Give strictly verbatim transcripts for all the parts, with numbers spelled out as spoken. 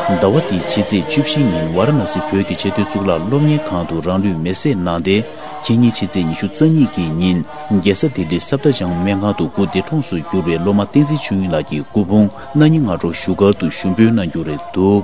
ཟླ་བ་འདིའི་ཕྱི་ཚེས་བཅུ་བཞི་ཉིན་ཝཱ་ར་ཎ་སི་བོད་ཀྱི་ཆེས་མཐོའི་གཙུག་ལག་སློབ་གཉེར་ཁང་དུ་རང་ལུས་མེར་སྲེག་གནང་སྟེ། ཁེ་ཉིན་ཕྱི་ཚེས་ཉི་ཤུ་རྩ་གཉིས་ཀྱི་ཉིན་རྒྱལ་ས་ལྡི་ལི་སབ་དར་ཇང་སྨན་ཁང་དུ་སྐུ་འདས་གྲོངས་སུ་གྱུར་བའི་སློབ་མ་བསྟན་འཛིན་ཆོས་དབྱིངས་ལགས་ཀྱི་སྐུ་ཕུང་སྣ་ཉིན་སྔ་དྲོ་བཞུགས་སྒར་དུ་ཞུགས་འབུལ་གནང་རྒྱུ་རེད་འདུག་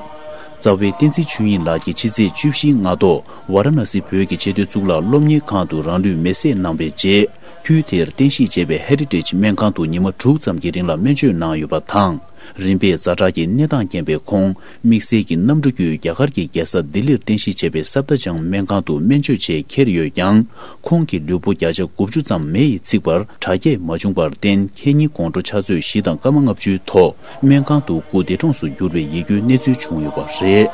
རྩ་བའི་བསྟན་འཛིན་ཆོས་དབྱིངས་ལགས་ཀྱི་ཕྱི་ཚེས་བཅུ་བཞིའི་སྔ་དྲོ་ཝཱ་ར་ཎ་སི་བོད་ཀྱི་ཆེས་མཐོའི་གཙུག་ལག་སློབ་གཉེར་ཁང་དུ་རང་ལུས་མེར་སྲེག་གནང་བའི་རྗེས། ཁུལ་དེར་རྟེན་གཞི་བྱས་པའི་ཧེ་རི་ཊེཇ་སྨན་ཁང་དུ་ཉི་མ་དྲུག་ཙམ་གྱི་རིང་ལ་སྨན་བཅོས་གནང་ཡོད་པ་དང་། རིམ་པས་ཛ་དྲག་གི་གནས་སྟངས་རྐྱེན་པས་ཁོང་དམིགས་བསལ་གྱི་གནམ་གྲུ་བརྒྱུད་རྒྱ་གར་གྱི་རྒྱལ་ས་ལྡི་ལིར་རྟེན་གཞི་བྱས་པའི་སབ་དར་ཇང་སྨན་ཁང་དུ་སྨན་བཅོས་ཆེད་འཁྱེར་ཡོད་ཀྱང་། ཁོང་གི་ལུས་པོ་བརྒྱ་ཆ་དགུ་བཅུ་ཙམ་མེ་ཡིས་ཚིག་པར་དྲག་སྐྱེད་མ་བྱུང་བར་བརྟེན། ཁེ་ཉིན་དགོང་དྲོ་ཕྱག་ཚོད་བཞི་དང་སྐར་མ་ལྔ་བཅུའི་ཐོག་སྨན་ཁང་དུ་སྐུ་འདས་གྲོངས་སུ་གྱུར་བའི་ཡིད་སྐྱོའི་གནས་ཚུལ་བྱུང་ཡོད་པ་རེད།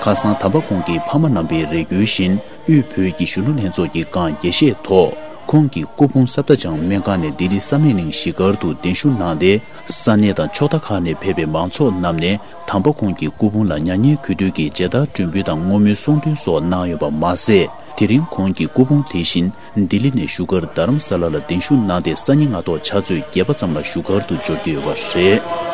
ཁ་སང་དམ་པ་ཁོང་གི་ཕ་མ་རྣམ་པའི་རེ་སྐུལ་བཞིན། དབུས་བོད་ཀྱི་གཞོན་ནུ་ལྷན་ཚོགས་ཀྱིས་བསྐངས་དགྱེས་བཞེས་ཐོག་ཁོང་གི་སྐུ་ཕུང་སབ་དར་ཇང་སྨན་ཁང་ནས་ལྡི་ལི་བསམ་ཡས་གླིང་གཞིས་སྒར་དུ་གདན་ཞུ་གནང་སྟེ། ས་གནས་དང་ཕྱོགས་མཐའ་ཁག་ནས་ཕེབས་པའི་མང་ཚོགས་རྣམས་ནས་དམ་པ་ཁོང་གི་སྐུ་ཕུང་ལ་མྱ་ངན་གུས་འདུད་ཀྱི་མཇལ་དར་སྒྲོན་འབུལ་དང་བསྔོ་སྨོན་གསུང་འདོན་སོགས་གནང་ཡོད་པ་མ་ཟད། དེ་རིང་ཁོང་གི་སྐུ་ཕུང་དེ་བཞིན་ལྡི་ལི་ནས་བཞུགས་སྒར་རྡ་རམ་ས་ལ་ལ་གདན་ཞུ་གནང་སྟེ། སང་ཉིན་སྔ་ཐོག་ཕྱག་ཚོད་བརྒྱད་པ་ཙམ་ལ་བཞུགས་སྒར་དུ་འབྱོར་གྱི་ཡོད་པ་རེད།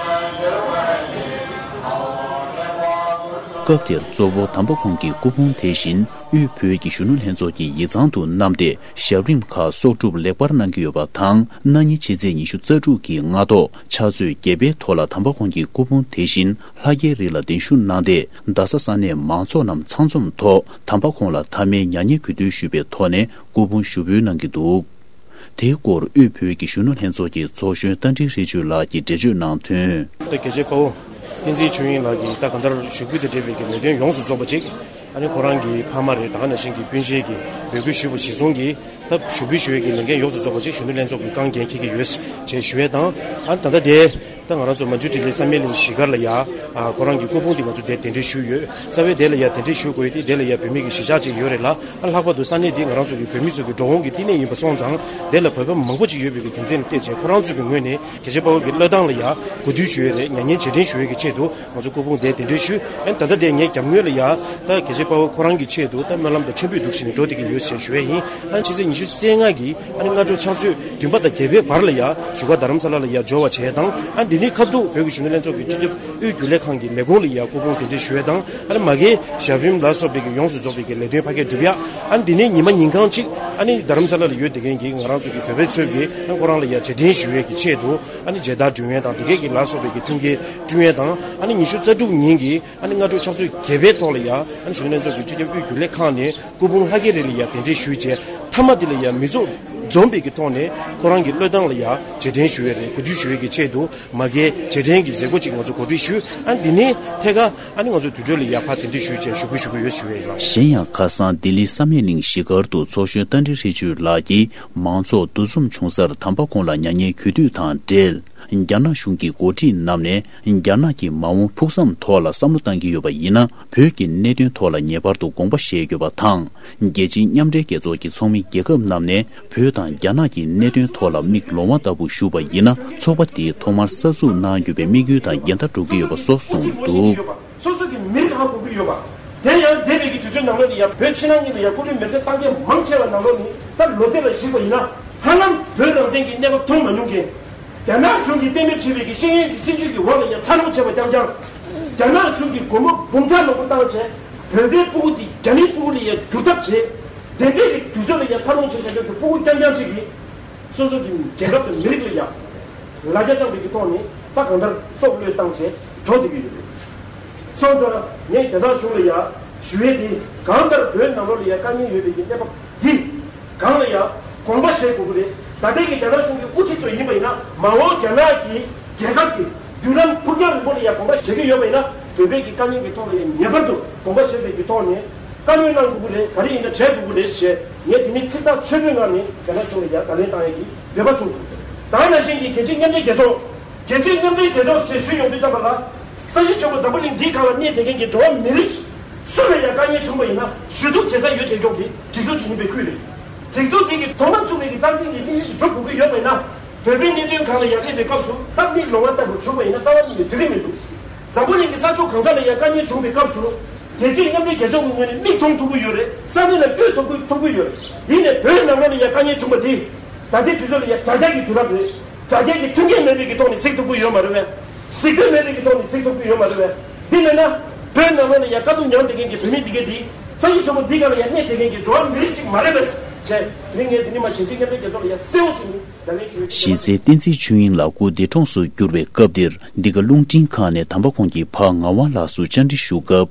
སྐབས་དེར་གཙོ་བོ་དམ་པ་ཁོང་གི་སྐུ་ཕུང་དེ་བཞིན་དབུས་བོད་ཀྱི་གཞོན་ནུ་ལྷན་ཚོགས་ཀྱི་ཡིག་ཚང་དུ་བསྣམས་ཏེ། ཞབས་རིམ་ཁག་གསོག་སྒྲུབ་ལེགས་པར་གནང་གི་ཡོད་པ་དང་། གནངས་ཉིན་ཕྱི་ཚེས་ཉི་ཤུ་རྩ་དྲུག་གི་སྔ་ཐོག་ཕྱག་ཚོད་བརྒྱད་པའི་ཐོག་ལ་དམ་པ་ཁོང་གི་སྐུ་ཕུང་དེ་བཞིན་ལྷ་རྒྱལ་རི་ལ་གདན་ཞུ་གནང་སྟེ། རྡ་ས་ས་གནས་མང་ཚོགས་རྣམས་ཚང་འཛོམས་ཐོག་དམ་པ་ཁོང་ལ་མཐའ་མའི་མྱ་ངན་གུས་འདུད་ཞུས་པའི་ཐོག་ནས་སྐུ་ཕུང་ཞུགས་འབུལ་གནང་གི་འདུག་དེའི་སྐོར་དབུས་བོད་ཀྱི་གཞོན་ནུ་ལྷན་ཚོགས་ཀྱི་ཚོགས་གཞོན་རྟ་མགྲིན་ཧྲིལ་ཆུ་ལགས་ཀྱིས་འགྲེལ་བརྗོད་གནང་དོན། ད་རྒྱལ་གཅེས་དཔའ་བོ་བསྟན་འཛིན་ཆོས་དབྱིངས་ལགས་ཀྱིས་ད་གང་ལྟར་ཞུགས་འབུལ་དང་འབྲེལ་བའི་གི་ལས་དོན་ཡོངས་སུ་རྫོགས་པ་ཅིག་ཨ་ནི་ཁོ་རང་གི་ཕ་མ་རེད། ད་ག་ནང་བཞིན་གྱི་སྤུན་མཆེད་ཀྱིས་འབོད་སྐུལ་ཞུས་པ་གཞིར་བཟུང་གིས་ད་ཞུགས་འབུལ་ཞུ་བའི་གི་ལས་འགན་ཡོངས་སུ་རྫོགས་པ་ཅིག་གཞོན་ནུ་ལྷན་ཚོགས་ཀྱིས་རྐང་འགན་འཁྱེར་གྱི་ཡོད་ཅེས་ཞུ་ཡས་དང་། ཨ་ནི་ད་ལྟ་དེ་ད་ང་རང་ཚོ་མ་ཇུ་ཊི་ལི་བསམ་ཡས་གླིང་གཞིས་སྒར་ལ་ཡ། ཨ་ཁོ་རང་གི་སྐུ་ཕུང་འདི་ང་ཚོ་དེ་གདན་འདྲེན་ཞུས་ཡོད། རྩ་བའི་དེ་ལ་ཡ་གདན་འདྲེན་ཞུ་དགོས་ཡས་དེ་དེ་ལ་ཡ་བོད་མི་གི་གཞིས་ཆགས་ཅིག་ཡོད་རེད་ལ། ཨ་ལྷག་པར་དུ་ས་གནས་འདི་ང་རང་ཚོ་གི་བོད་མི་ཚོ་གི་འགྲོ་འོང་གི་བསྟི་གནས་ཡིན་པ་སོང་ཙང་། དེ་ལ་བོད་པ་མང་པོ་ཅིག་ཡོད་པའི་གི་རྒྱུ་མཚན་ལ་བལྟས་བྱས་ཁོ་རང་ཚོ་གི་ངོས་ནས་རྒྱལ་གཅེས་དཔའ་བོ་གི་བློས་བཏང་ལ་ཡ་གུས་འདུད་ཞུ་ཡས་རེད། མྱ་ངན་རྗེས་དྲན་ཞུ་ཡས་ཀྱི་ཆེད་དུ་ང་ཚོ་སྐུ་ཕུང་དེ་གདན་འདྲེན་ཞུས། ཨ་ནི་ད་ལྟ་དེ་ངས་རྒྱབ་ངོས་ལ་ཡ་ད་རྒྱལ་གཅེས་དཔའ་བོ་ཁོ་རང་གི་ཆེད་དུ་ད་སྨོན་ལམ་དང་མཆོད་འབུལ་འདུག་བྱས་ནས་འགྲོ་བསྡད་ཀྱི་ཡོད་ཅེས་ཞུ་ཡས་ཡིན། ཨ་ནི་ཕྱི་ཚེས་ཉི་ཤུ་རྩ་ལྔ་གི་ཨ་ནི་སྔ་དྲོ་ཕྱག་ཚོད་བདུན་པ་དང་བརྒྱད་པའི་བར་ལ་ཡ་བཞུགས་སྒར་རྡ་རམ་ས་ལ་ལ་ཡ་འབྱོར་བ་བྱས་དང་། ཨ་འདི་ནས་ཁ་ཐུག་བོད་ཀྱི་གཞོན་ནུ་ལྷན་ཚོགས་ཀྱི་སྤྱི་ཁྱབ་དབུས་རྒྱུན་ལས་ཁང་གི་ལས་ཁུངས་ལ་ཡ་སྐུ་ཕུང་གདན་འདྲེན་ཞུ་ཡས་དང་། ཨ་ནི་མ་གིའི་ཞབས་རིམ་ལ་སོགས་པའི་གི་ཡོངས་སུ་རྫོགས་པའི་གི་ལས་དོན་ཕ་གིར་སྒྲུབ་ཡ། ཨ་ནི་འདི་ནས་ཉི་མ་ཉིན་གང་གཅིག་ཨ་ནི་རྡ་རམ་ས་ལ་ལ་ཡོད་བསྡད་མཁན་གྱི་ང་རང་ཚོ་གི་བོད་པའི་ཚོས་ཀྱི་ཨ་ནི་ཁོ་རང་ལ་ཡ་རྗེས་དྲན་ཞུ་ཡས་ཀྱི་ཆེད་དུ། ཨ་ནི་མཇལ་དར་སྒྲོན་ཡས་དང་དེ་གས་ཀྱི་ལ་སོགས་པའི་གི་མཐུན་རྐྱེན་བསྐྲུན་ཡས་དང་། ཨ་ནི་ཉི་ཤུ་རྩ་དྲུག་ཉིན་གྱི་ཨ་ནི་སྔ་དྲོ་ཕྱག་ཚོད་བརྒྱད་པའི་ཐོག་ལ་ཡ་ཨ་ནི་གཞོན་ནུ་ལྷན་ཚོགས་ཀྱི་སྤྱི་ཁྱབ་དབུས་རྒྱུན་ལས་ཁང་ནས་སྐུ་ཕུང་ལྷ་རྒྱལ་རི་ལ་ཡ་གདན་འདྲེན་ཞུས་རྗེས། མཐའ་མ་དེ་ལ་ཡ་མི་ཚོགས་འཛོམས་པའི་གི་ཐོག་ནས་ཁོ་རང་གི་བློས་བཏང་ལ་ཡ་རྗེས་དྲན་ཞུ་ཡས་རེད། གུས་འདུད་ཞུ་ཡས་ཀྱི་ཆེད་དུ་མ་གིའི་རྗེས་དྲན་གྱི་མཛད་སྒོ་ཅིག་ང་ཚོ་གོ་སྒྲིག་ཞུས། ཨ་ནི་འདི་ནས་ཐད་ཀར་ཨ་ནི་ང་ཚོ་དུར་ཁྲོད་ལ་ཡ་ཕར་གདན་འདྲེན་ཞུས་བྱས་ཞུགས་འབུལ་ཞུ་གི་ཡོད་ཞུ་ཡས་ཡིན། གཞན་ཡང་ཁ་སང་ལྡི་ལི་བསམ་ཡས་གླིང་གཞིས་སྒར་དུ་ཚོགས་གཞོན་རྟ་མགྲིན་ཧྲིལ་ཆུ་ལགས་ཀྱིས་མང་ཚོགས་འདུ་འཛོམས་བྱུང་སར་དམ་པ་ཁོང་ལ་མྱ་ངན་གུས་འདུད་དང་འབྲེལ། རྒྱ་ནག་གཞུང་གི་འགོ་ཁྲིད་རྣམས་ནས་རྒྱ་ནག་གི་མ་འོངས་ཕུགས་བསམ་ཐོག་ལ་བསམ་བློ་བཏང་གི་ཡོད་པ་ཡིན་ན། བོད་ཀྱི་གནད་དོན་ཐོག་ལ་ངེས་པར་དུ་དགོངས་པ་བཞེས་དགོས་པ་དང་། རྒྱལ་སྤྱིའི་མཉམ་འབྲེལ་རྒྱལ་ཚོགས་ཀྱི་ཚོགས་མི་རྒྱལ་ཁབ་རྣམས་ནས་བོད་དང་རྒྱ་ནག་གི་གནད་དོན་ཐོག་ལ་མིག་ལོང་བ་ལྟ་བུ་ཞུགས་པ་ཡིན་ན། ཚོགས་པ་དེའི་ཐོག་མར་གསར་འཛུགས་གནང་རྒྱུ་བའི་དམིགས་ཡུལ་དང་འགལ་ཟླ་འགྲོ་གི་ཡོད་པ་སོགས་གསུངས་འདུག། སོ་སོ་གི་མི་རིགས་ཧ་གོ་གི་ཡོད་པ། དེ་ཡང་འདས་པའི་གི་དུས་ཚོད་ནང་ལོགས་ནས་ཡང་བོད་ཕྱི་ནང་གཉིས་ལ་ཡང་སྐུ་ལུས་མེར་སྲེག་བཏང་མཁན་མང་ཆེ་བ་ནང་ལོགས་ནས་ད་ལོ་ཚད་ལ་གཞིགས་པ་ཡིན་ན། ཧ་ལམ་བོད་རང་བཙན་གྱི་གནས་བབ་མཐོང་མ་མྱོང་མཁན། རྒྱ་ནག་གཞུང་གིས་གཏན་འབེབས་བྱས་པའི་གི་ཤེས་ཡོན་གྱི་སྲིད་བྱུས་ཀྱི་འོག་ལ་ཡང་འཚར་ལོངས་བྱས་པ་རྐྱང་རྐྱང་། རྒྱ་ནག་གཞུང་གིས་སྒོར་མོ་འབུམ་ཕྲག་མང་པོ་བཏང་བྱས་བོད་པའི་སྤུ་གུ་དེ་རྒྱ་མིའི་སྤུ་གུ་ལ་ཡང་བསྒྱུར་ཐབས་བྱས། དེ་འདྲའི་གི་དུས་ཚོད་ལ་ཡང་འཚར་ལོངས་བྱས་བཞག་མཁན་གྱི་སྤུ་གུ་རྐྱང་རྐྱང་ཅིག་གིས། སོ་སོ་གི་རྒྱལ་ཁབ་དང་མི་རིགས་ལ་ཡང་ལ་རྒྱ་བཅངས་པའི་གི་ཐོག་ནས་ད་གང་ལྟར་སྲོག་བློས་བཏང་བྱས་འགྲོ་བསྡད་ཀྱི་ཡོད་རེད། སོང་ཙང་ངས་རྒྱ་ནག་གཞུང་ལ་ཡང་ཞུ་ཡས་དེ། གང་ལྟར་བོད་ནང་ལོགས་ལ་ཡང་དཀའ་ངལ་ཡོད་པའི་གི་གནས་བབ་འདི་སྒང་ལ་ཡང་དགོངས་པ་བཞེས་དགོས་ཀྱི་རེད། ད་ལྟའི་གི་རྒྱ་ནག་གཞུང་གི་དབུ་ཁྲིད་ཚོ་ཡིན་པ་ཡིན་ན། མ་འོངས་རྒྱ་ནག་གི་རྒྱལ་ཁབ་ཀྱི་མདུན་ལམ་ཕུགས་རྒྱང་རིང་པོ་ལ་ཡང་དགོངས་པ་བཞེས་ཀྱི་ཡོད་པ་ཡིན་ན། བོད་པའི་གི་དཀའ་ངལ་གྱི་ཐོག་ལ་ཡང་ངེས་པར་དུ་དགོངས་པ་བཞེས་པའི་གི་ཐོག་ནས་བཀའ་མོལ་གནང་དགོས་ཀྱི་རེད། ག་རེ་ཡིན་ན་བྱེད་དགོས་ཀྱི་རེད་ཞེས་ངས་དེ་ནས་ཚིག་ཐག་ཆོད་པོའི་ངང་ནས་རྒྱ་ནག་གཞུང་ལ་ཡང་བརྡ་ལན་བཏང་ཡས་ཀྱི་འདོད་པ་བྱུང་སོང་། ད་ག་ནང་བཞིན་གྱི་རྒྱལ་སྤྱིའི་མཉམ་འབྲེལ་རྒྱལ་ཚོགས། རྒྱལ་སྤྱིའི་མཉམ་འབྲེལ་རྒྱལ་ཚོགས་ཞེས་ཞུས་ཡོང་དུས་ཙམ་པ་ལ། ས་གཞི་ཆེན་པོ་འཛམ་བུ་གླིང་འདིའི་སྒང་ལ་གནས་བསྡད་མཁན་གྱི་འགྲོ་བ་མི་རིགས་སུ་ལ་ཡང་དཀའ་ངལ་བྱུང་བ་ཡིན་ན་ཞུ་གཏུག་བྱེད་ས་ཡོད་བསྡད་ཀྱོག་གི་སྒྲིག་འཛུགས་ཅིག་ཡིན་པའི་ཁུལ་རེད། སྒྲིག་འཛུགས་འདི་གི་ཐོག་མ་བཙུགས་པའི་གི་རྩ་འཛིན་གྱི་དམིགས་ཡུལ་འགྲུབ་དགོས་ཀྱི་ཡོད་པ་ཡིན་ན། བོད་པའི་གནད་དོན་སྒང་ལ་ཡར་སླེབས་པའི་སྐབས་སུ་ད་མིག་ལོང་བ་ལྟ་བུར་བཞུགས་པ་ཡིན་ན་རྩ་བ་ཉིད་ནས་འགྲིག་གི་མི་འདུག། འཛམ་བུ་གླིང་གི་ས་ཕྱོགས་གང་ས་ལ་ཡང་དཀའ་ངལ་བྱུང་བའི་སྐབས་སུ། རྒྱལ་སྤྱིའི་མཉམ་འབྲེལ་རྒྱལ་ཚོགས་ཀྱི་ངོས་ནས་མིག་མཐོང་ཐུབ་ཀྱི་ཡོད་རེད། ས་གནས་ལ་བསྐྱོད་ཐུབ་ཀྱི་ཐུབ་ཀྱི་ཡོད་རེད། ཡིན་ནའི་བོད་ནང་ལོགས་ལ་ཡང་དཀའ་ངལ་བྱུང་བ་འདི། ད་ལྟའི་དུས་ཚོད་ལ་ཡང་དྲ་རྒྱ་གི་དུས་རབས་རེད། དྲ་རྒྱ་གི་མཐུན་རྐྱེན་མེད་པའི་གི་ཐོག་ནས་གཟིགས་ཐུབ་ཀྱི་ཡོད་མ་རེད་པས། གཟིགས་འདོད་མེད་པའི་གི་ཐོག་ནས་གཟིགས་ཐུབ་ཀྱི་ཡོད་མ་རེད་པས། འདི་མེད་ན། བོད་ནང་ལོགས་ནས་ཡང་དཀའ་སྡུག་མྱངས་བསྡད་མཁན་གྱི་བོད་མི་འདི་གས་འདི། ས་གཞི་ཆེན་པོ་འདི་ག་ལ་ཡང་གནས་བསྡད་མཁན་གྱི་འགྲོ་བ་མི་རིགས་གཅིག་མ་རེད་པས། བྱས། དེ་རིང་ངས་འདི་ནས་མར་གལ་ཆེའི་མཉམ་འབྲེལ་རྒྱལ་ཚོགས་ལ་ཡང་གསལ་བོ་བྱས་ནས་ད་ལན་ཞུ། གཞིས་རྩེ་བསྟན་འཛིན་ཆོས་དབྱིངས་ལགས་སྐུ་འདས་གྲོངས་སུ་གྱུར་བའི་སྐབས་འདིར། འདི་ག་རླུང་འཕྲིན་ཁང་ནས་དམ་པ་ཁོང་གི་ཕ་ངག་དབང་ལགས་སུ་བཅར་འདྲི་ཞུ་སྐབས།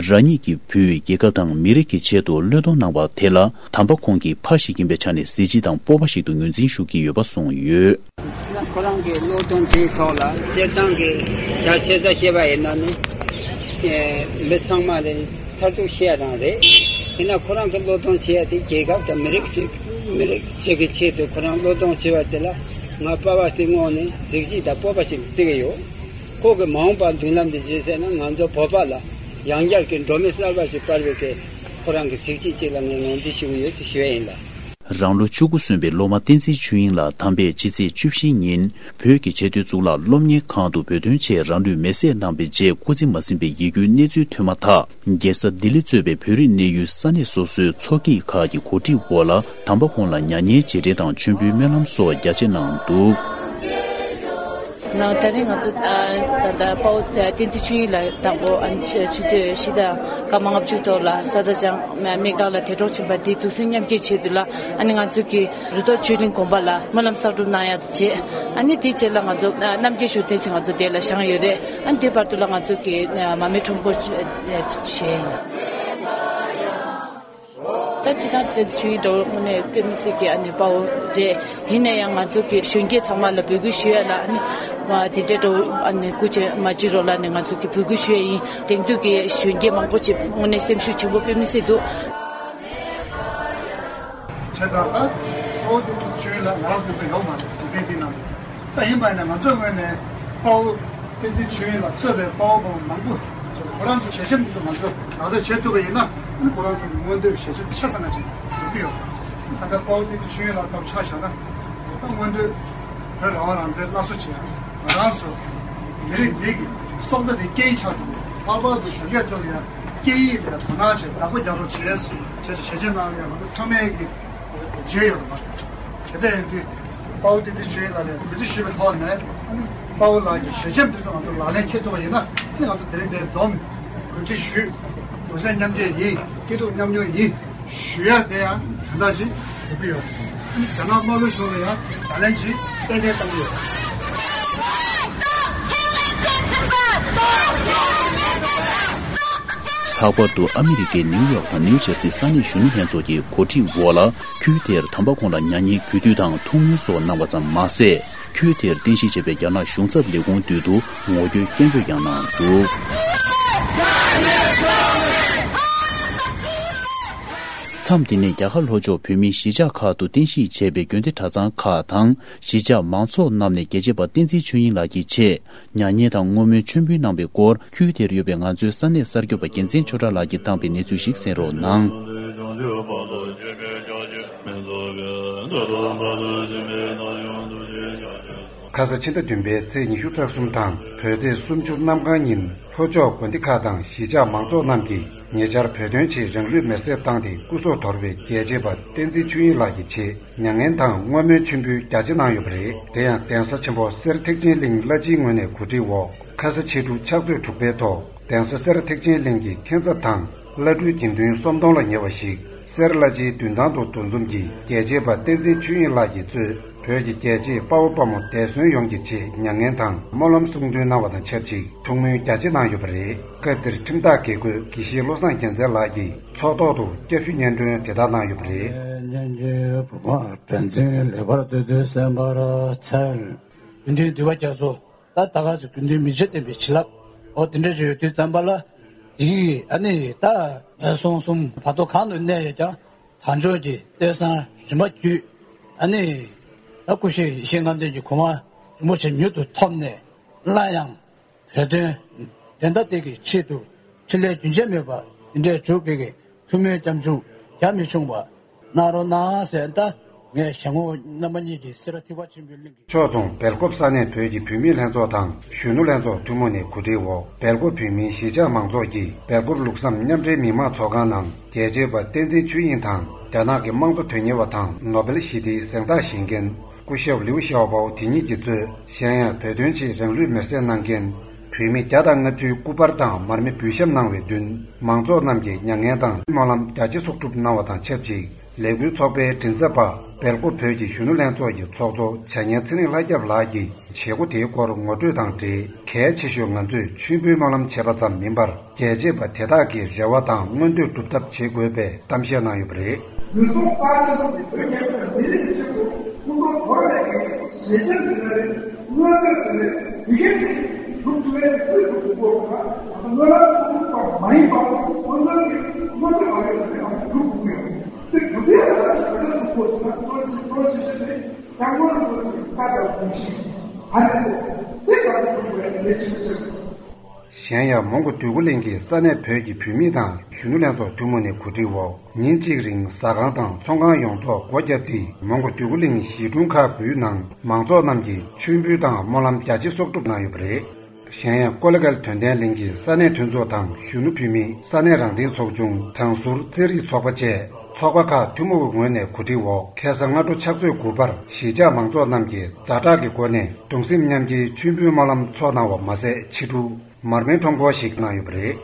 རང་ཉིད་ཀྱི་བོད་རྒྱལ་ཁབ་དང་མི་རིགས་ཀྱི་ཆེད་དུ་བློས་གཏོང་གནང་བ་དེ་ལ། དམ་པ་ཁོང་གི་ཕ་ཞིག་ཡིན་པའི་ཆ་ནས་གཟི་བརྗིད་དང་སྤོབས་པ་ཞིག་ཏུ་ངོས་འཛིན་ཞུ་གི་ཡོད་པ་གསུངས་ཡོད། ཁོ་རང་གི་བློས་གཏོང་དེའི་ཐོག་ལ་སྤྱིར་བཏང་གི་རྒྱ་ཆེ་ས་བཤད་པ་ཡིན་ན་ནི། ཨེ། མི་ཚང་མ་ལ་མཐར་ཐུག་བཤད་རང་རེད། ཡིན་ན་ཁོ་རང་གི་བློས་གཏོང་བྱེད་ཡ་དེ་རྒྱལ་ཁབ་དང་མི་རིགས་ཅིག་མི་རིགས་ཅིག་གི་ཆེད་དུ་ཁོ་རང་བློས་གཏོང་བྱེད་པ་དེ་ལ་ང་པ་ཕ་དེ་དངོས་ནས་གཟི་བརྗིད་དང་སྤོབས་པ་ཞིག་བརྩི་གི་ཡོད། ཁོ་གི་མ་འོངས་པ་མདུན་ལམ་དེ་བྱེད་ཟེར་ན་ང་ཚོ་བོད་པ་ལ་ཡང་བསྐྱར་གྱི་འགྲོ་མི་གསར་པ་ཞིག་སྤར་བའི་གི་ཁོ་རང་གི་གཟི་བརྗིད་ཅིག་ལ་ངས་ངོས་འཛིན་ཞུ་གི་ཡོད་ཅེས་ཞུ་ཡ་ཡིན་ལ། རང་ལོ་བཅུ་དགུ་སོན་པའི་སློབ་མ་བསྟན་འཛིན་ཆོས་དབྱིངས་ལགས་དམ་པས་ཕྱི་ཚེས་བཅུ་བཞི་ཉིན་བོད་ཀྱི་བྱེས་སྡོད་གཙུག་ལག་སློབ་གཉེར་ཁང་དུ་བོད་དོན་ཆེད་རང་ལུས་མེར་སྲེག་གནང་པའི་རྗེས་སྐུ་ཚེ་མ་ཟིན་པའི་ཡིད་སྐྱོའི་གནས་ཚུལ་ཐོན་མ་ཐག་རྒྱལ་ས་ལྡི་ལི་གཙོས་པའི་བོད་རིགས་གནས་ཡུལ་ས་གནས་སོ་སོའི་ཚོགས་སྐྱིད་ཁག་གི་གོ་སྒྲིག་འོག་ལ་དམ་པ་ཁོང་ལ་མྱ་ངན་རྗེས་དྲན་དང་མཆོད་འབུལ་སྨོན་ལམ་སོགས་རྒྱ་ཆེ་གནང་འདུག། ནང་ད་རེས་ང་ཚོ་ཨ་ད་ལྟ་དཔའ་བོ་བསྟན་འཛིན་ཆོས་དབྱིངས་ལགས་དང་པོ་ཨ་ནི་ཆུ་ཆུ་ཚོད་བཞི་དང་སྐར་མ་ལྔ་བཅུ་ཐོག་ལ་ས་དང་ལྗང་སྨན་ཁང་ལ་དེ་གྲོངས་ཕྱིན་པ་དེའི་དུག་སེལ་མཉམ་སྐྱེལ་ཆེད་དུ་ལ་ཨ་ནི་ང་ཚོ་གི་རུ་ཐོག་ཆོས་གླིང་དགོན་པ་ལ་སྨོན་ལམ་གསར་སྒྲུབ་གནང་ཡག་དང་བཅས། ཨ་ནི་དེའི་རྗེས་ལ་ང་ཚོ་ཨ་རྣམ་རྒྱལ་ཞུ་རྟེན་ཆེད་ང་ཚོ་དེ་ལ་བཞེངས་ཡོད་རེད། ཨ་ནི་དེའི་བར་དུ་ལ་ང་ཚོ་གི་མར་མེ་ཁྲོམ་སྐོར་བྱས་ཡིན། ད་ཅི་ད་བསྟན་འཛིན་ཆོས་དབྱིངས་འདྲ་བོ་དངོས་གནས་དཔེ་མི་སྲིད་ཀྱི་ཨ་ནི་དཔའ་བོ་རེད། ཡིན་ན་ཡང་ང་ཚོ་གི་གཞོན་སྐྱེས་ཚང་མ་ལ་འབོད་སྐུལ་ཞུ་ཡ་ལ་ཨ་ནི་དེ་འདྲ་འདྲ་བོ་ཨ་ནི་སྐུ་མཁྱེན་མ་བྱེད་རོགས་ལ་ནི་ང་ཚོ་གི་འབོད་སྐུལ་ཞུ་ཡ་ཡིན། དེང་དུས་ཀྱི་གཞོན་སྐྱེས་མང་པོ་ཅིག་དངོས་གནས་སེམས་ཤུགས་ཆེན་པོ་དཔེ་མི་སྲིད་འདུག། བྱས་ཙང་ད་ཨོ་དེ་ཚོ་ཆོས་ལ་ང་རང་ཚོ་འདི་ཡོད་མ་རེད། འཇིག་རྟེན་འདི་ནང་། ད་ཡིན་པ་ཡིན་ན་ང་ཚོའི་ངོས་ནས་དཔའ་བོ་བསྟན་འཛིན་ཆོས་དབྱིངས་ལ་གཙོས་པའི་དཔའ་བོ་དཔའ་མོ་མང་པོ་ཁོ་རང་ཚོ་ཞལ་ཆེམས་འདི་ཚོ་ང་ཚོས་ལག་བསྟར་བྱེད་ཐུབ་པ་ཡིན་ན་ཁོ་རང་ཚོ་གི་མངོན་འདོད་ཞལ་ཆེམས་ཆ་ཚང་ཅིག་འགྲུབ་ཀྱི་ཡོད། ད་ལྟ་དཔའ་བོ་བསྟན་འཛིན་ཆོས་དབྱིངས་ལགས་སྐབས་ཆ་བཞག་ན་ད་མངོན་འདོད་བོད་རང་དབང་རང་བཙན་སླར་གསོ་བྱེད་ཡ་ང་རང་ཚོ་མི་རིགས་འདི་གི་སྲོག་རྩ་འདི་སྐད་ཡིག་ཆགས་འགྲོ་གི་ལྷག་པར་དུ་གཞོན་སྐྱེས་ཚོ་ལ་ཡང་སྐད་ཡིག་ལ་དོ་སྣང་བྱེད་བདག་པོ་རྒྱག་རོགས་བྱེད་ཟེར་བྱས་ཞལ་ཆེམས་གནང་ཡ་ང་ཚོ་ཚང་མས་ཀྱི་བརྗོད་ཡོད་པ། དེ་འདྲ་ཡིན་དུས་དཔའ་བོ་བསྟན་འཛིན་ཆོས་དབྱིངས་ལགས་ལ་གུས་བརྩི་ཞུས་པའི་ཐོག་ནས་ཨ་ནི་དཔའ་བོ་ལགས་ཀྱི་ཞལ་ཆེམས་དེ་ཚོ་ང་ཚོ་ལག་ལེན་འཁེལ་ཐུབ་པ་ཡིན་ན་ཨ་ནི་ང་ཚོ་དེ་རིང་འདིར་འཛོམས་གུས་བརྩི་ཞུས། གུས་བརྩི་མཉམ་སྐྱེད་ཡིན། སྐྱིད་སྡུག་མཉམ་མྱོང་ཡིན་ཞུ་ཡ་དེ་ཡང་དོན་དག་ཅིག་འགྲུབ་ཀྱི་ཡོད། ཨ་ནི་རྒྱ་ནག་དམར་པོའི་གཞུང་ལ་ཡང་ལག་ལེན་ཅིག་ཏན་ཏན་བཏང་གི་ཡོད། ལྷག་པར་དུ་ཨ་མི་རི་ཀའི་ནིའུ་ཡོག་དང་ནིའུ་ཇར་སི་ས་གནས་གཞོན་ནུ་ལྷན་ཚོགས་ཀྱི་གོ་སྒྲིག་འོག་ལ། ཁུལ་དེར་དམ་པ་ཁོང་ལ་མྱ་ངན་གུས་འདུད་དང་ཐུགས་སྨོན་སོགས་གནང་བ་ཙམ་མ་ཟད། ཁུལ་དེར་རྟེན་གཞི་བྱས་པའི་རྒྱ་ནག་གཞུང་ཚབ་ལས་ཁུངས་མདུན་དུ་ངོ་རྒོལ་སྐད་འབོད་ཀྱང་གནང་འདུག། མཚམས་འདི་ནས་རྒྱ་གར་ལྷོ་ཕྱོགས་བོད་མིའི་གཞིས་ཆགས་ཁག་ཏུ་རྟེན་གཞི་བྱས་པའི་དགོན་སྡེ་གྲྭ་ཚང་ཁག་དང་གཞིས་ཆགས་མང་ཚོགས་རྣམས་ནས་རྒྱལ་གཅེས་པ་བསྟན་འཛིན་ཆོས་དབྱིངས་ལགས་ཀྱི་ཆེད། མྱ་ངན་དང་བསྔོ་སྨོན་མཆོད་འབུལ་གནང་པའི་སྐོར། ཁུལ་དེར་ཡོད་པའི་ང་ཚོའི་ས་གནས་གསར་འགོད་པ་རྒྱལ་མཚན་ཆོས་གྲགས་ལགས་ཀྱིས་བཏང་པའི་གནས་ཚུལ་ཞིག་གསན་རོགས་གནང་། ཁ་ས་ཕྱི་ཟླ་བདུན་པའི་ཚེས་ཉི་ཤུ་རྩ་གསུམ་དང་བོད་ཚེས་སུམ་ཅུ་གནམ་གང་ཉིན་ལྷོ་ཕྱོགས་དགོན་སྡེ་ཁག་དང་གཞིས་ཆགས་མང་ཚོགས་རྣམས་ཀྱིས་ཉེ་ཆར་བོད་དོན་ཆེད་རང་ལུས་མེར་སྲེག་བཏང་སྟེ་སྐུ་སྲོག་དོར་བའི་རྒྱལ་གཅེས་པ་བསྟན་འཛིན་ཆོས་དབྱིངས་ལགས་ཀྱི་ཆེད། མྱ་ངན་དང་བསྔོ་སྨོན་མཆོད་འབུལ་རྒྱ་ཆེ་གནང་ཡོད་པ་རེད། དེ་ཡང་གདན་ས་ཆེན་པོ་སེར་ཐེག་ཆེན་གླིང་བླ་སྤྱིའི་ངོས་ནས་གོ་སྒྲིག་འོག་ཁ་ས་ཕྱི་དྲོ་ཕྱག་ཚོད་དྲུག་པའི་ཐོག་གདན་ས་སེར་ཐེག་ཆེན་གླིང་གི་མཁན་ཚབ་དང་བླ་སྤྲུལ་དགེ་འདུན་སུམ་སྟོང་ལ་ཉེ་བ་ཞིག་སེར་བླ་སྤྱིའི་མདུན་ཐང་དུ་འདུ་འཛོམས་ཀྱིས་རྒྱལ་གཅེས་པ་བསྟན་འཛིན་ཆོས་དབྱིངས་ལགས་ཀྱིས་གཙོས་བོད་ཀྱི་རྒྱལ་གཅེས་དཔའ་བོ་དཔའ་མོ་འདས་གསོན་ཡོངས་ཀྱི་ཆེད་མྱ་ངན་དང་སྨོན་ལམ་གསུང་འདོན་གནང་བ་དང་ཆབས་ཅིག་ཐུགས་སྨོན་རྒྱ་ཆེ་གནང་ཡོད་པ་རེད། སྐབས་དེར་ཁྲིམས་བདག་དགེ་བསྐོས་དགེ་བཤེས་བློ་བཟང་རྒྱལ་མཚན་ལགས་ཀྱིས། ཚོགས་ཐོག་ཏུ་སྐྱབས་ཞུ་སྙན་སྒྲོན་དེ་ལྟར་གནང་ཡོད་པ་རེད། སྙན་རྗེ་བུ་མ་དྲན་འཛིན་ལེགས་པར་སྡོད་དུས་གསན་པར་འཚལ། དགེ་འདུན་འདུས་པ་རྒྱ་མཚོ། ད་ད་ག་ཚོད་དགེ་འདུན་མི་བྱེད་བསྟན་པའི་བྱིན་རླབས། འོ་དེ་འདྲ་ཞིག་ཡོད་དུས་ཙམ་པ་ལ། དེ་ཡིས་ཨ་ནི་ད་སོང་གསུམ་བར་དོ་གང་དུ་གནས་ཡོད་ཀྱང་དལ་འབྱོར་གྱི་ལྟས་བཟང་རིམ་པ་བརྒྱུད། ཨ་ནི་ད་སྐུ་གཤེགས་ཡེ་ཤེས་ལྔ་ལྡན་གྱི་གོ་འཕང་རིན་པོ་ཆེ་མྱུར་དུ་ཐོབ་ནས་སླར་ཡང་། བོད་དོན་བདེན་མཐའ་གཏད་ཀྱི་ཆེད་དུ་འཕྲིན་ལས་རྒྱུན་ཆད་མེད་པ་འདི་འདྲའི་འཇུག་པའི་གི་ཐུགས་སྨོན་སྐྱབས་འཇུག་རྒྱ་མི་ཆུང་བ་གནང་རོགས་གནང་ཟེར། ད་ངས་ཞལ་ངོ་རྣམ་པ་གཉིས་ཀྱི་སེ་ར་ཐེག་པ་ཆེན་པོའི་གླིང་གི་ཕྱོགས་མཚུངས་སྦེལ་ཀོབ་ས་གནས་བོད་ཀྱི་བུད་མེད་ལྷན་ཚོགས་དང་གཞོན་ནུ་ལྷན་ཚོགས་ཐུན་མོང་ནས་གོ་སྒྲིག་འོག་སྦེལ་ཀོབ་བོད་མིའི་གཞིས་ཆགས་མང་ཚོགས་ཀྱིས་སྦེལ་ཀོབ་ལུགས་བསམ་མཉམ་འབྲེལ་མི་མང་ཚོགས་ཁང་ནང་རྒྱལ་གཅེས་པ་བསྟན་འཛིན་ཆོས་དབྱིངས་དང་རྒྱ་ནག་གི་དམངས་གཙོ་དོན་གཉེར་བ་དང་ནོ་བེལ་ཞི་བདེའི་གཟེངས་རྟགས་བཞེས་མཁན། སྐུ་ཞབས་ལིའུ་ཞའོ་པའོ་དེ་ཉིད་ཀྱིས་གཙོས། གཞན་ཡང་བོད་དོན་ཆེད་རང་ལུས་མེར་སྲེག་གནང་མཁན་བོད་མི་བརྒྱ་དང་ལྔ་བཅུའི་སྐུ་པར་དང་མར་མེ་འབུལ་བཤམས་གནང་བའི་མདུན། མང་ཚོགས་རྣམས་ཀྱིས་མྱ་ངན་དང་སྨོན་ལམ་རྒྱ་ཆེ་གསོག་སྒྲུབ་གནང་བ་དང་ཆབས་ཅིག་ལས་འགུལ་ཚོགས་པའི་མགྲིན་ཚབ་པ་སྦེལ་ཀོབ་བོད་ཀྱི་གཞོན་ནུ་ལྷན་ཚོགས་ཀྱི་ཚོགས་གཙོ་བྱ་ཉན་ཚེ་རིང་ལྷ་སྐྱབས་ལགས་ཀྱིས། བྱེད་སྒོ་དེའི་སྐོར་ངོ་སྤྲོད་དང་འབྲེལ། གལ་ཆེ་ཤོས་ང་ཚོས་མཆོད་འབུལ་སྨོན་ལམ་བྱས་པ་ཙམ་མིན་པར། རྒྱལ་གཅེས་པ་དེ་དག་གི་རེ་བ་དང་མངོན་འདོད་སྒྲུབ་ཐབས་བྱེད་དགོས་པའི་གཏམ་བཤད་གནང་ཡོད་པ་རེད། ལུས་སྲོག་དཔའ་ཆེན་པོ་དེ་བོད་རྒྱལ་ཁབ་ལ་མི་རིགས་ཀྱི་ཆེད་དུ་ཁོང་ཁྲོ་དོར་བའི་གི་ཞེ་ཆེན་དེ་ལ་རེད། མངོན་འདོད་ཟེར་ནས་དེ་གའི་དེ་སྒྲུབ་ཐུབ་པའི་སྲོལ་དུ་འགྲོ་དགོས་ཟེར་ན། ང་ཚོ་སྨོན་ལམ་ཐུབ་པ་མ་ཡིན་པ་སྔོན་ཐོན་གྱི་སྔོན་ཐོན་མ་ཡིན་པ་རེད། ང་ཚོ་སྒྲུབ་དགོས་ཡོད། དེ་སྒྲུབ་ཡ་ལ་ང་ཚོ་ག་འདྲ་སྒྲུབ་དགོས་ཟེར་ན། གཙོ་ཆེ་གཙོ་ཆེ་ཤོས་དེ། སྐྱབས་མགོན་རིན་པོ་ཆེའི་བཀའ་དང་དགོངས་གཞི་ཨ་ནི་དེ་ག་རེ་དགོས་པའི་གལ་ཆེ་ཤོས་ཆེ། གཞན་ཡང་མོན་གྷོ་འདོད་རྒུ་གླིང་གི་ས་གནས་བོད་ཀྱི་བུད་མེད་དང་གཞོན་ནུ་ལྷན་ཚོགས་ཐུན་མོང་ནས་གོ་སྒྲིག་འོག་ཉིན་གཅིག་རིང་ཟ་ཁང་དང་ཚོང་ཁང་ཡོངས་རྫོགས་སྒོ་བརྒྱབ་སྟེ། མོན་གྷོ་འདོད་རྒུ་གླིང་གཞིས་གྲོང་ཁག་དགུའི་ནང་མང་ཚོགས་རྣམས་ཀྱིས་མཆོད་འབུལ་དང་སྨོན་ལམ་རྒྱ་ཆེ་གསོག་སྒྲུབ་གནང་ཡོད་པ་རེད། གཞན་ཡང་ཀོ་ལི་གལ་དོན་ལྡན་གླིང་གི་ས་གནས་མཐུན་ཚོགས་དང་གཞོན་ནུ་བུད་མེད་ས་གནས་རང་བདེན་ཚོགས་ཆུང་དང་ཟུར་རྩེད་རིགས་ཚོགས་པ་བཅས་ཚོགས་པ་ཁག་ཐུན་མོང་གི་ངོས་ནས་གོ་སྒྲིག་འོག་ཁ་སང་སྔ་དྲོ་ཕྱག་ཚོད་དགུ་པར་གཞིས་ཆགས་མང་ཚོགས་རྣམས་ཀྱིས་ཛ་དྲག་གི་སྒོ་ནས་གདུང་སེམས་མཉམ་སྐྱེའི་མཆོད་འབུལ་སྨོན་ལམ་ཚོགས་གནང་བ་མ་ཟད། ཕྱི་དྲོ་མར་མེ་ཁྲོམ་སྐོར་ཞིག་གནང་ཡོད་པ་རེད།